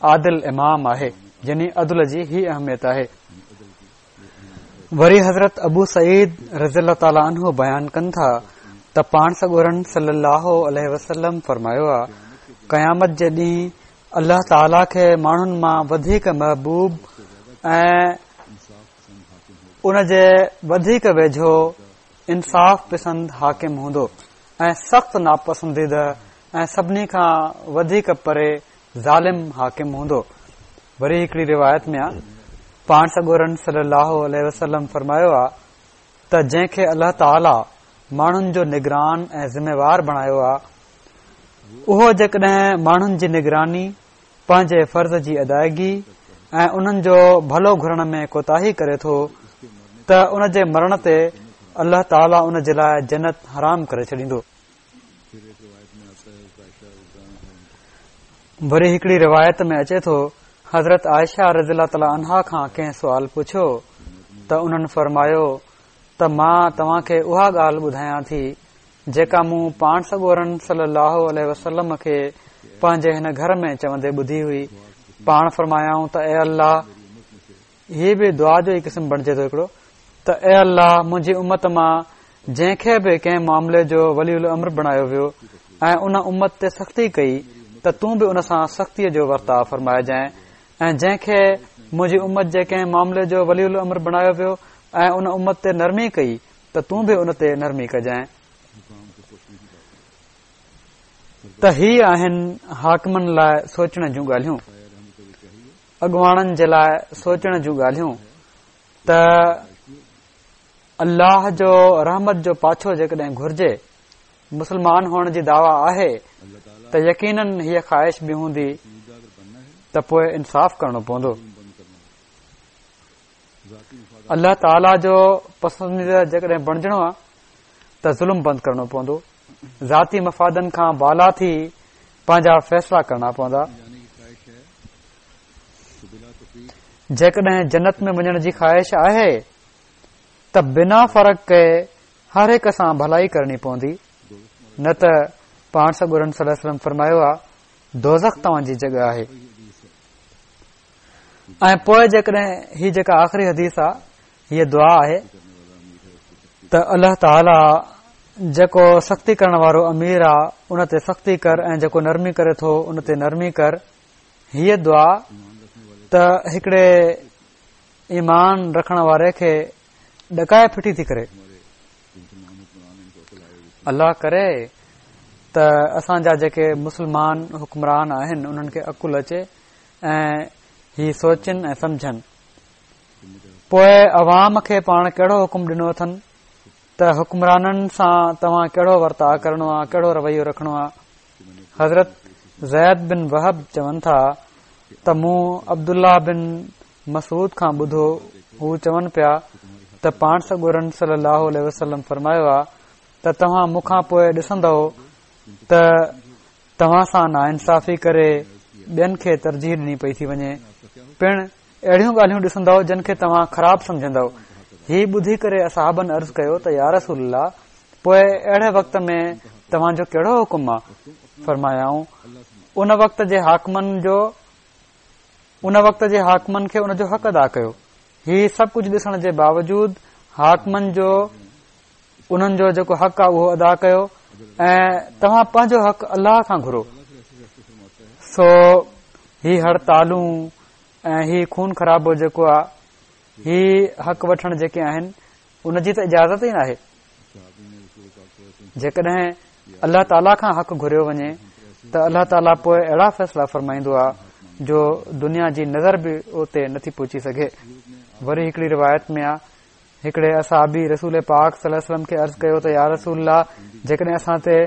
عادل امام آهي، يعني عدل جي هي اهميت آهي. وري حضرت ابو سعيد رضي الله تعالٰي عنه بيان ڪن ٿا ته پاڻ سڳورن صلي الله عليه وسلم فرمايو آ، قيامت جي ڏينهن الله تعاليٰ کي ماڻهن مان وڌيڪ محبوب ۽ ان جي وڌيڪ ويجهو انصاف پسند حاڪم هوندو ۽ سخت ناپسنديده ۽ سڀني کان وڌيڪ پري ظالم حاڪم هوندو. وري هڪڙي روايت ۾ آ، پاڻ سڳورن صلي الله عليه وسلم فرمايو آ ته جنهن کي الله تعاليٰ ماڻهن جو نگران ۽ ذميوار بڻايو آ، اهو جيڪڏهن ماڻهن جي نگراني، پنهنجي فرض جي ادائگي ۽ انهن جو ڀلو گهرڻ ۾ ڪوتاهي ڪري ٿو ته ان جي مرڻ تي الله تعاليٰ ان جي لاءِ جنت حرام ڪري ڇڏيندو. وري هڪڙي روايت ۾ اچي ٿو حضرت عائشه رضي الله تعاليٰ عنها کان ڪنهن سوال پڇيو ته انهن فرمايو ته مان توهان کي اها ڳالهه ٻڌايان ٿي جيڪا مون پاڻ سڳورن صلي الله عليه وسلم کي پنهنجي هن گهر ۾ چوندي ٻڌي هئي. پاڻ فرمايائون ته اي الله، هي به دعا جو ئي قسم بڻجي ٿو هڪڙو، ته اي الله منهنجي امت مان جنهن کي به ڪنهن معاملي جو ولي الامر بڻايو ويو ۽ ان امت تي سختي ڪئي ته تون به ان سان سختيء جو ورتاء فرمائجانء، ۽ جنهن کي منهنجي امت جي ڪنهن معاملي جو ولي الامر بڻايو ويو ۽ ان امت تي نرمي ڪئي ته تون به ان تي نرمي ڪجانء. ته هي آهن حاڪمن لاءِ سوچڻ جون ڳالهيون، اڳواڻن جي لاءِ سوچڻ جون ڳالهيون ته الله جو رحمت جو پاڇو جيڪڏهن گهرجي، مسلمان هئڻ جي دعويٰ آهي ته يقينن هيءَ خواهش به هوندي ته پوءِ انصاف ڪرڻو پوندو. الله تعاليٰ جو پسنديده جيڪڏهن بڻجڻو آهي ته ظلم بند ڪرڻو پوندو، ذاتي مفادن کان بالا ٿي پنهنجا فيصلا ڪرڻا پوندا. جيڪڏهن جنت ۾ وڃڻ جي خواهش آهي ته بنا فرق ڪئي هر هڪ سان ڀلائي ڪرڻي پوندي، نه ته پاڻ سڳورن صلي الله عليه وسلم فرمايو آهي دوزخ توهان جي جڳهه آهي. ۽ پوءِ جيڪڏهن هي جيڪا آخري حديث آهي هيءَ دعا آهي ته الله تعاليٰ جيڪو سختي ڪرڻ وارو امير آهي ان تي سختي ڪر ۽ جيڪو نرمي ڪري ٿو ان تي نرمي ڪر. هيءَ دعا ته هڪڙي ايمان رکڻ واري کي ڏڪائي ڦٽي ٿي ڪري. الله ڪري ته اسان جا جيڪي مسلمان حڪمران آهن انهن کي عقل اچي ۽ هي سوچن ۽ سمجهن. پوءِ عوام کي پاڻ ڪهڙو حڪم ڏنو اٿن ته حڪمرانن سان توهان ڪهڙو ورتاءُ ڪرڻو آهي، ڪهڙو رويو رکڻو آهي. حضرت زيد بن وهب چون ٿا ته مون عبدالله بن مسعود کان ٻڌو، هو چون پيا ته پاڻ سڳورن صلي الله عليه وسلم فرمايو آهي ته توهان مون کان پوءِ ڏسندؤ ته توهان سان ناانصافي ڪري ٻين کي ترجيح ڏني پئي ٿي وڃي، پڻ اهڙيون ڳالهيون ڏسندؤ جن کي توهان خراب سمجهندؤ. هي ٻڌي ڪري اصحابن عرض ڪيو ته يا رسول الله، پوءِ اهڙي وقت ۾ توهان جو ڪهڙو حڪم آهي؟ فرمايائون ان وقت جي حاڪمن جو ان وقت جي حاڪمن کي ان جو حق ادا ڪيو. هي سڀ ڪجهه ڏسڻ جي باوجود حاڪمن جو انهن جو جيڪو حق آهي اهو ادا ڪيو ۽ توهان پنهنجو حق الله کان گهرو. سو هي هڙتالون ۽ هي خون خرابو جيڪو آهي، هي حق وٺڻ جيڪي آهن ان جي ته اجازت ئي ناهي. جيڪڏهن الله تعاليٰ کان حق گهريو وڃي ته الله تعاليٰ پوءِ اهڙا فيصلا فرمائيندو آهي جو دنيا جي نظر به اتي نٿي پهچي سگهي. وري هڪڙي روايت ۾ آهي هڪڙي اصحابي رسول پاڪ صلي الله عليه وسلم کي عرض ڪيو ته يا رسول الله، جيڪڏهن اسان تي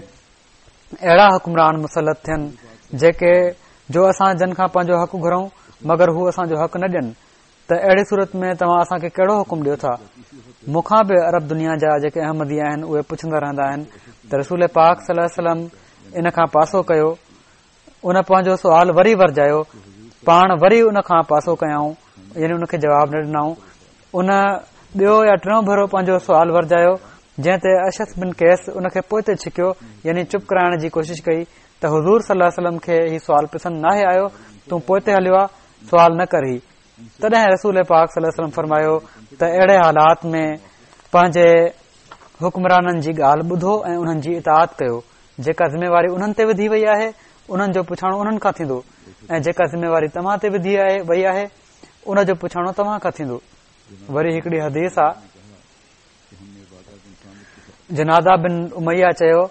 اهڙا حڪمران مسلط ٿين جيڪي جو اسان جن کان پنهنجو حق گهرون مگر هو اسان جو حق نه ڏين ته اهڙي صورت ۾ توهان اسان کي ڪهڙو حڪم ڏيو ٿا؟ مون کان به عرب دنيا جا جيڪي احمدي آهن اهي پڇندا رهندا آهن ته رسول پاڪ صلي الله عليه وسلم ان کان پاسو ڪيو. ان پنهنجو سوال وري ورجايو، پاڻ وري ان کان پاسو ڪيائون، يعني ان کي جواب نه ڏنائون. ان ٻيو يا ٽيون ڀيرو پنهنجو سوال ورجايو، جنهن تي اشعث بن قيس ان کي پوئتي ڇڪيو، يعني چپ ڪرائڻ جي ڪوشش ڪئي ته حضور صلي الله عليه وسلم کي هي سوال پسند ناهي آيو، تون پوئتي هليو آ، سوال نه ڪر هي. تڏهن رسول پاڪ صلي الله عليه وسلم فرمايو ته اهڙي حالات ۾ پنهنجي حڪمرانن جي ڳالهه ٻڌو ۽ انهن جي اطاعت ڪيو. جيڪا ذميواري انهن تي وڌي وئي آهي انهن جو پڇاڻو انهن کان ٿيندو، ۽ جيڪا ذميواري توهان تي وڌي آهي وئي آهي ان جو پڇاڻو توهان کان ٿيندو. وري هڪڙي حديث آ، جناده بن اميه چيو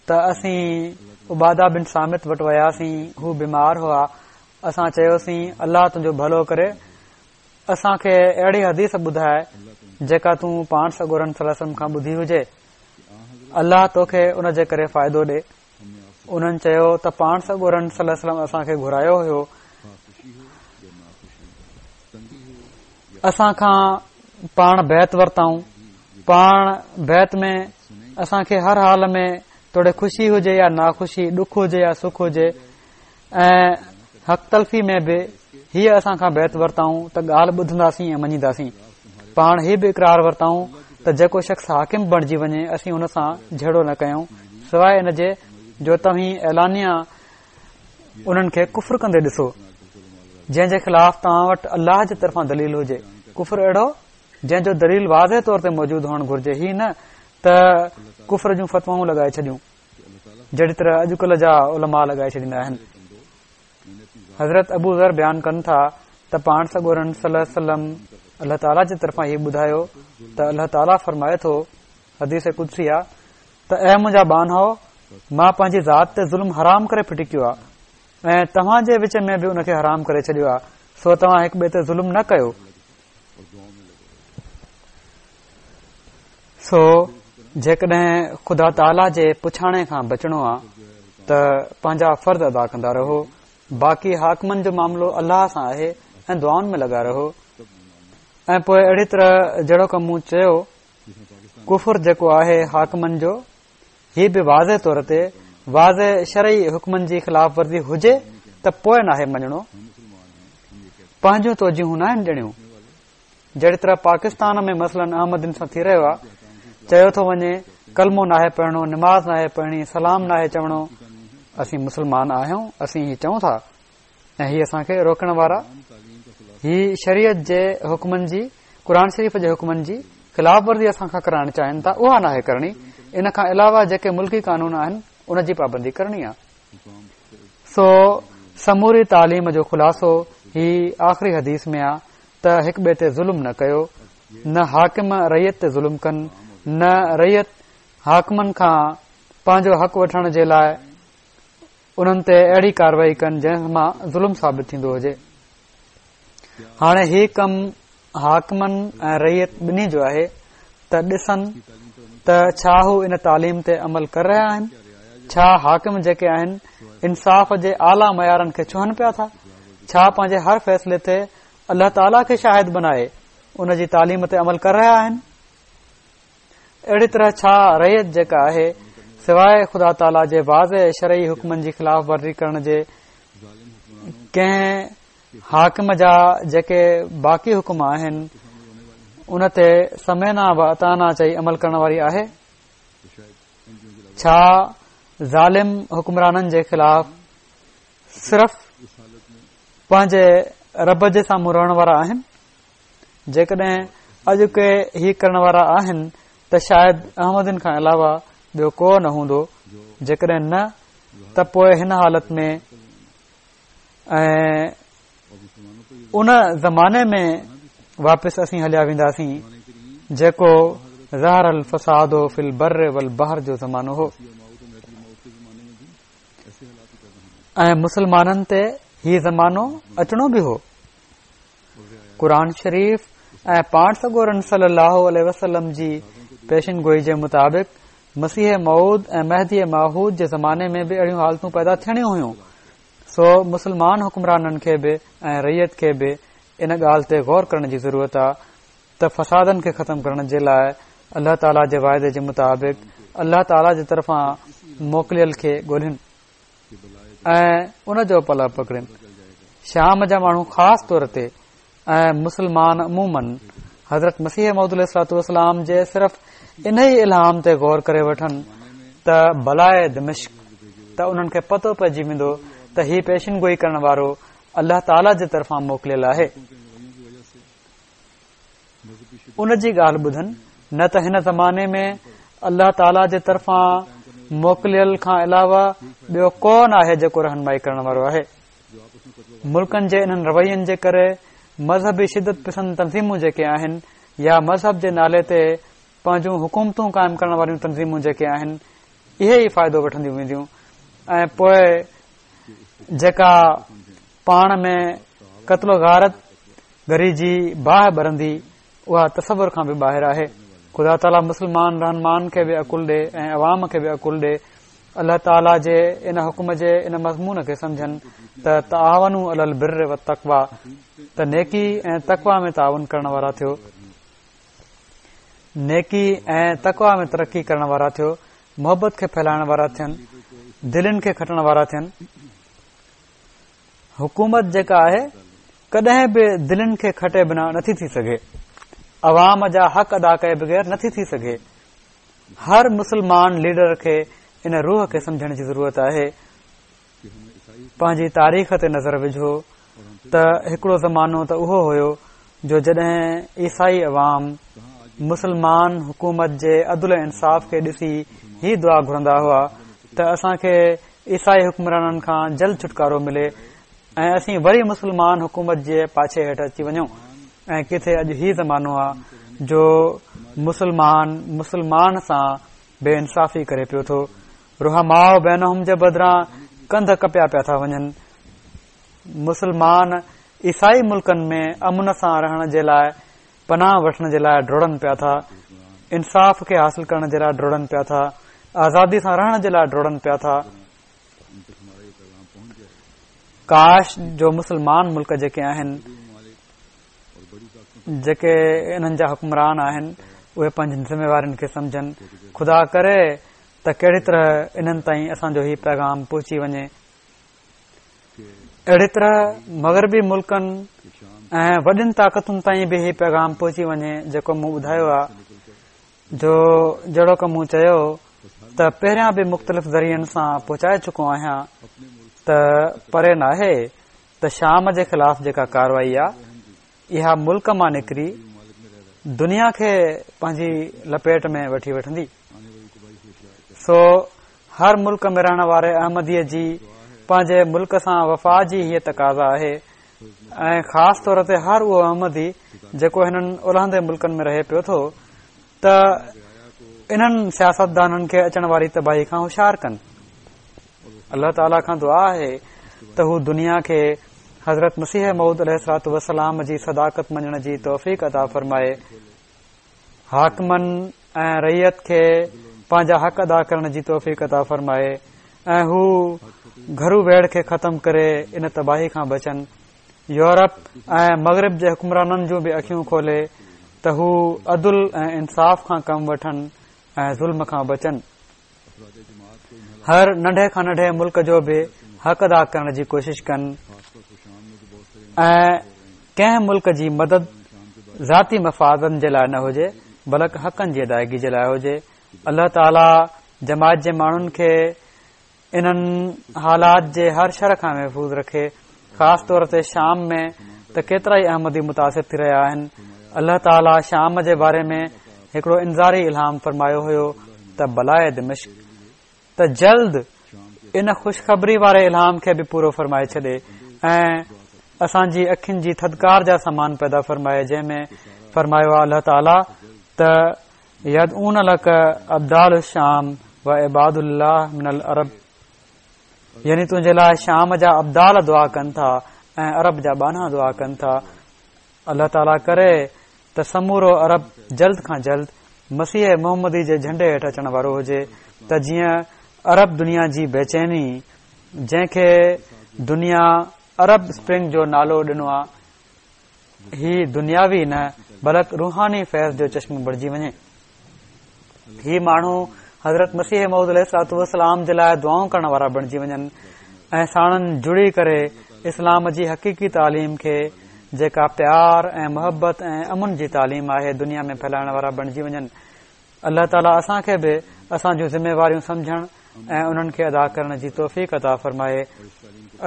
ته اسين عباده بن صامت وٽ وياسين، هو بيمار هئا. اسان چيوسين الله تنهنجو ڀلو ڪري، اسان کي اهڙي حديث ٻڌائي جيڪا تون پاڻ سڳورن صلي الله عليه وسلم کان ٻڌي هجي، الله توکي ان جي ڪري فائدو ڏي. انهن چيو ته پاڻ سڳورن صلي الله عليه وسلم اسان کي گهرايو هيو اسان کان پاڻ بيعت ورتائون. پاڻ بيعت ۾ اسان کي هر حال ۾ توڙي خوشي هجي يا ناخوشي، ڏک هجي يا سک هجي، ۽ حق تلفي ۾ به هيءَ اسان کان بيعت ورتائون ته ڳالهه ٻڌنداسين ۽ مڃينداسين. پاڻ هي به اقرار ورتائون ته جيڪو شخص حاڪم بڻجي وڃي اسين ان سان جهيڙو نه ڪيون، سواءِ ان جي جو توهين اعلانيه انهن کي ڪفر ڪندي ڏسو جنهن جي خلاف توهان وٽ الله جي طرفان دليل هجي. ڪفر اهڙو جنهن جو دليل واضح طور تي موجود هئڻ گهرجي، هي نه ته ڪفر جون فتوائون لڳائي ڇڏيون جهڙي طرح اڄڪلهه جا علماء لڳائي ڇڏيندا آهن. حضرت ابو ذر بيان ڪن ٿا ته پاڻ سڳورن صلي الله عليه وسلم الله تعاليٰ جي طرفان هي ٻڌايو ته الله تعاليٰ فرمائي ٿو، حديث قدسي آ، ته اي منهنجا ٻانهو، مان پنهنجي ذات تي ظلم حرام ڪري ڦٽي ڪيو آ ۽ توهان جي وچ ۾ به ان کي حرام ڪري ڇڏيو آ، سو توهان هڪ ٻئي تي ظلم نه ڪيو. سو جيڪڏهن خدا تعاليٰ جي پڇاڻي کان بچڻو آ ته پنهنجا فرض ادا ڪندا رهو، باقي حاڪمن جو معاملو الله سان آهي ۽ دعائن ۾ لڳا رهو. ۽ پوءِ اهڙي طرح جهڙو ڪم مون چيو، ڪفر جيڪو آهي حاڪمن جو، هي به واضح طور تي واضح شرعي حڪمن جي خلاف ورزي هجي ته پوءِ ناهي مڃڻو، پنهنجون توجيهون ناهن ڏيڻيون. جهڙي طرح پاڪستان ۾ مثلاً احمدين سان ٿي رهيو آهي، چيو ٿو وڃي ڪلمو ناهي پڙهڻو، نماز ناهي پڙهڻي، سلام ناهي چوڻو. اسين مسلمان آهيون، اسين هي چئون ٿا ۽ هي اسان کي روڪڻ وارا هي شريعت جي حڪمن جي، قرآن شريف جي حڪمن جي خلاف ورزي اسان کان ڪرائڻ چاهين ٿا، اها ناهي ڪرڻي. ان کان علاوه جيڪي ملڪي قانون آهن ان جي پابندي ڪرڻي آهي. سو سموري تعليم جو خلاصو هي آخري حديث ۾ آهي ته هڪ ٻئي تي ظلم نه ڪيو، نه حاڪم رعيت تي ظلم ڪن، نه رعيت حاڪمن کان پنهنجو حق وٺڻ جي لاءِ انهن تي اهڙي ڪارروائي ڪن جنهن مان ظلم ثابت ٿيندو هجي. هاڻي هي ڪم حاڪمن ۽ رعيت ٻنهي جو آهي ته ڏسن ته ڇا هو ان تعليم تي عمل ڪري رهيا آهن، ڇا حاڪم جيڪي آهن انصاف جي اعليٰ معيارن کي ڇهن پيا ٿا، ڇا پنهنجي هر فيصلي تي الله تعاليٰ کي شاهد بنائي ان جي تعليم تي عمل ڪري رهيا آهن. اهڙي طرح ڇا رعيت جيڪا آهي سواءِ خدا تعاليٰ جي واضح شرعي حڪمن جي خلاف ورزي ڪرڻ جي ڪنهن حاڪم جا جيڪي باقي حڪم آهن ان تي سمعنا و اطعنا چئي عمل ڪرڻ واري آهي؟ ڇا ظالم حڪمرانن جي خلاف صرف پنهنجي رب جي سامهون رهڻ وارا آهن؟ جيڪڏهن اڄ ڪي هي ڪرڻ وارا آهن ته شايد احمدين کان علاوه ٻيو ڪو نه هوندو. جيڪڏهن نه ته پوءِ هن حالت ۾ ۽ ان زماني ۾ واپس اسين هليا وينداسين جيڪو ظهر الفساد في البر والبحر جو زمانو هو ۽ مسلمانن تي هي زمانو اچڻو به هو. قرآن شريف ۽ پاڻ سڳورن صلي الله عليه وسلم جي پيشن گوئي جي مطابق مسيح موعود ۽ مهدي معهود جي زماني ۾ به اهڙيون حالتون پيدا ٿيڻيون هيون. سو مسلمان حڪمرانن کي به ۽ رعيت کي به ان ڳالهه تي غور ڪرڻ جي ضرورت آهي ته فسادن کي ختم ڪرڻ جي لاءِ الله تعاليٰ جي واعدي جي مطابق الله تعاليٰ جي طرفان موڪليل کي ڳولهين ۽ ان جو پلئه پڪڙين. شام جا ماڻهو خاص طور تي ۽ مسلمان عموماً حضرت مسيح موعود عليه الصلوة والسلام جي صرف ان ئي الهام تي غور ڪري وٺن ته بلائي دمشق، ته انهن کي پتو پئجي ويندو ته هي پيشن گوئي ڪرڻ وارو الله تعاليٰ جي طرفان موڪليل آهي. ان جي ڳالهه ٻڌن، نه ته هن زماني ۾ الله تعاليٰ جي طرفان موڪليل کان علاوه ٻيو ڪو نه آهي جيڪو رهنمائي ڪرڻ وارو آهي. ملڪن جي انهن روين جي ڪري مذهبي شدت پسند تنظيمون جيڪي آهن يا مذهب جي نالي تي پنهنجون حڪومتون قائم ڪرڻ واريون تنظيمون جيڪي آهن اهي ئي فائدو وٺنديون وينديون ۽ پوءِ جيڪا پاڻ ۾ قتل و غارت گري جي باهه ٻرندي اها تصور کان به ٻاهر آهي. خدا تعاليٰ مسلمان رهنمائن کي به عقل ڏي ۽ عوام کي به عقل ڏي الله تعاليٰ جي ان حڪم جي ان مضمون کي سمجهن ته تعاونوا علي البر والتقويٰ، ته نيڪي ۽ تقويٰ ۾ تعاون ڪرڻ وارا ٿيو، نيڪي ۽ تقويٰ ۾ ترقي ڪرڻ وارا ٿيو، محبت کي ڦهلائڻ وارا ٿين، دلين کي کٽڻ وارا ٿين. حڪومت جيڪا آهي ڪڏهن به دلين کي کٽي بنا نٿي ٿي سگهي، عوام جا حق ادا ڪئي بغير نٿي ٿي سگهي. هر مسلمان ليڊر کي ان روح کي سمجهڻ جي ضرورت آهي. پنهنجي تاريخ تي نظر وجهو ته هڪڙو زمانو ته اهو هيو جو جڏهن عيسائي عوام مسلمان حڪومت جي عدل ۽ انصاف کي ڏسي هي دعا گهرندا هئا ته اسان کي عيسائي حڪمرانن کان جلد ڇوٽڪارو ملي ۽ اسين وري مسلمان حڪومت جي پاڇي هيٺ اچي وڃون. ۽ ڪٿي اڄ هي زمانو آهي جو مسلمان مسلمان سان بي انصافي ڪري پيو ٿو، رحماء بينهم جي بدران ڪنڌ ڪپيا پيا ٿا وڃن. مسلمان عيسائي ملڪن ۾ امن سان رهڻ جي لاء پناهه وٺڻ جي لاء ڊوڙن پيا ٿا، انصاف کي حاصل ڪرڻ جي لاء ڊوڙن پيا ٿا، آزادي سان رهڻ جي لاء ڊوڙن پيا ٿا. ڪاش جو مسلمان ملڪ جيڪي آهن، جيڪي انهن جا حڪمران آهن، اهي پنهنجين ذميوارين کي سمجهن. خدا ڪري ته ڪهڙي طرح انهن تائين اسان جو هي پيغام پهچي وڃي. اهڙي طرح مغربي ملڪن ۽ وڏين طاقتن تائين به هي پيغام پهچي وڃي جيڪو مون ٻڌايو آهي، جو جهڙوڪ مون چيو ته پهريان به مختلف ذريعن سان پهچائي چڪو آهيان ته پري ناهي ته شام جي خلاف جيڪا ڪارروائي آهي اها ملڪ مان نڪري دنيا کي پنهنجي لپيٽ ۾ وٺي وٺندي. سو هر ملڪ ۾ رهڻ واري احمديء جي پنهنجي ملڪ سان وفا جي هيء تقاضا آهي، ۽ خاص طور تي هر اهو احمدي جيڪو هنن الهندي ملڪن ۾ رهي پيو ٿو ته انهن سياستدانن کي اچڻ واري تباهي کان هوشيار ڪن. الله تعاليٰ کان دعا آهي ته هو دنيا کي حضرت مسيح موعود عليه الصلوة والسلام جي صداقت مڃڻ جي توفيق عطا فرمائي. حاڪمن ۽ رعيت کي پنهنجا حق ادا ڪرڻ جي توفيق عطا فرمائي ۽ هو گهرو ويڙهه کي ختم ڪري ان تباهي کان بچن. يورپ ۽ مغرب جي حڪمرانن جون به اکيون کولي ته هو عدل ۽ انصاف کان ڪم وٺن ۽ ظلم کان بچن. هر ننڍي کان ننڍي ملڪ جو به حق ادا ڪرڻ جي ڪوشش ڪن ۽ ڪنهن ملڪ جي مدد ذاتي مفادن جي لاءِ نه هجي بلڪ حقن جي ادائگي جي لاءِ هجي. الله تعاليٰ جماعت جي ماڻهن کي انهن حالات جي هر شر کان محفوظ رکي. خاص طور تي شام ۾ ته ڪيترا ئي احمدي متاثر ٿي رهيا آهن. الله تعاليٰ شام جي باري ۾ هڪڙو انذاري الهام فرمايو هيو ته بلائي دمشق، ته جلد ان خوشخبري واري الهام کي به پورو فرمائي ڇڏي ۽ اسان جي اکين جي ٿڌڪار جا سامان پيدا فرمائي، جنهن ۾ فرمايو آهي الله تعاليٰ ته يدعون لڪ ابدال الشام و عباد الله من العرب، يعني تنهنجي لاءِ شام جا ابدال دعا ڪن ٿا ۽ عرب جا ٻانها دعا ڪن ٿا. الله تعاليٰ ڪري ته سمورو عرب جلد کان جلد مسيح محمدي جي جهنڊي هيٺ اچڻ وارو هجي ته جيئن عرب دنيا جي بيچيني، جنهن کي دنيا عرب اسپرنگ جو نالو ڏنو آهي، هي دنياوي نه بلڪ روحاني فيض جو چشمو بڻجي وڃي. هي ماڻهو حضرت مسيح موعود عليه الصلوة والسلام جي لاءِ دعائون ڪرڻ وارا بڻجي وڃن ۽ ساڻن جڙي ڪري اسلام جي حقيقي تعليم کي، جيڪا پيار ۽ محبت ۽ امن جي تعليم آهي، دنيا ۾ ڦهلائڻ وارا بڻجي وڃن. الله تعاليٰ اسان کي به اسان جون ذميواريون سمجهڻ ۽ انهن کي ادا ڪرڻ جي توفيق عطا فرمائي.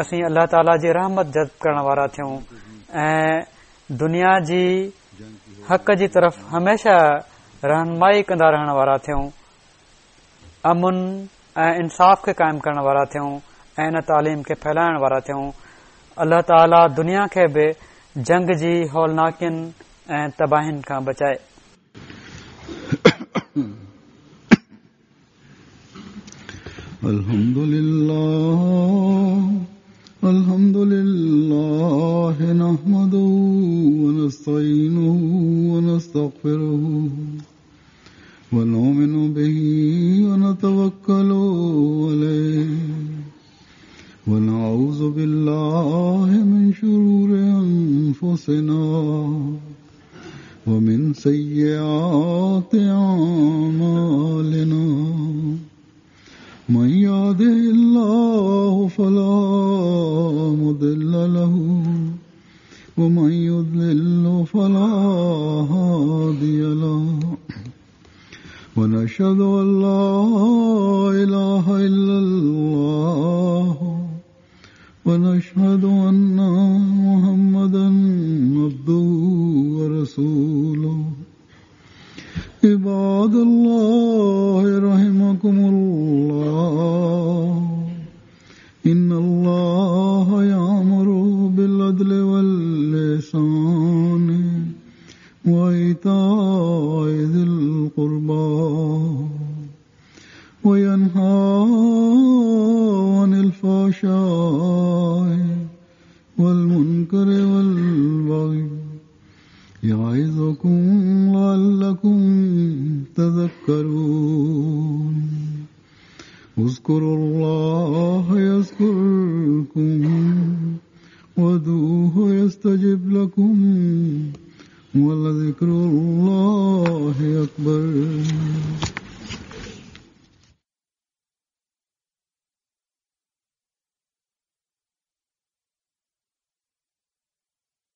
اسين الله تعاليٰ جي رحمت جذب ڪرڻ وارا ٿيون ۽ دنيا جي حق جي طرف هميشه رهنمائي ڪندا رهڻ وارا ٿيون، امن ۽ انصاف کي قائم ڪرڻ وارا ٿيون ۽ ان تعليم کي ڦهلائڻ وارا ٿيون. الله تعاليٰ دنيا کي به جنگ جي هولناڪين ۽ تباهين کان بچائي. الحمد لله الحمد لله نحمده ونستعينه ونستغفره ونؤمن به ونتوكل عليه. أنفسنا ومن سيئات أعمالنا من يهده الله فلا مضل له ومن يضلل فلا هادي له ونشهد أن لا إله إلا الله ونشهد أن محمدا عبده ورسوله. عباد الله رحمكم الله، إن الله يأمر بالعدل والإحسان وإيتاء ذي القربى وينهى عن الفحشاء والمنكر والبغي يعظكم لعلكم تذكرون. اذكروا الله يذكركم وادعوه يستجب لكم ولذكر الله أكبر.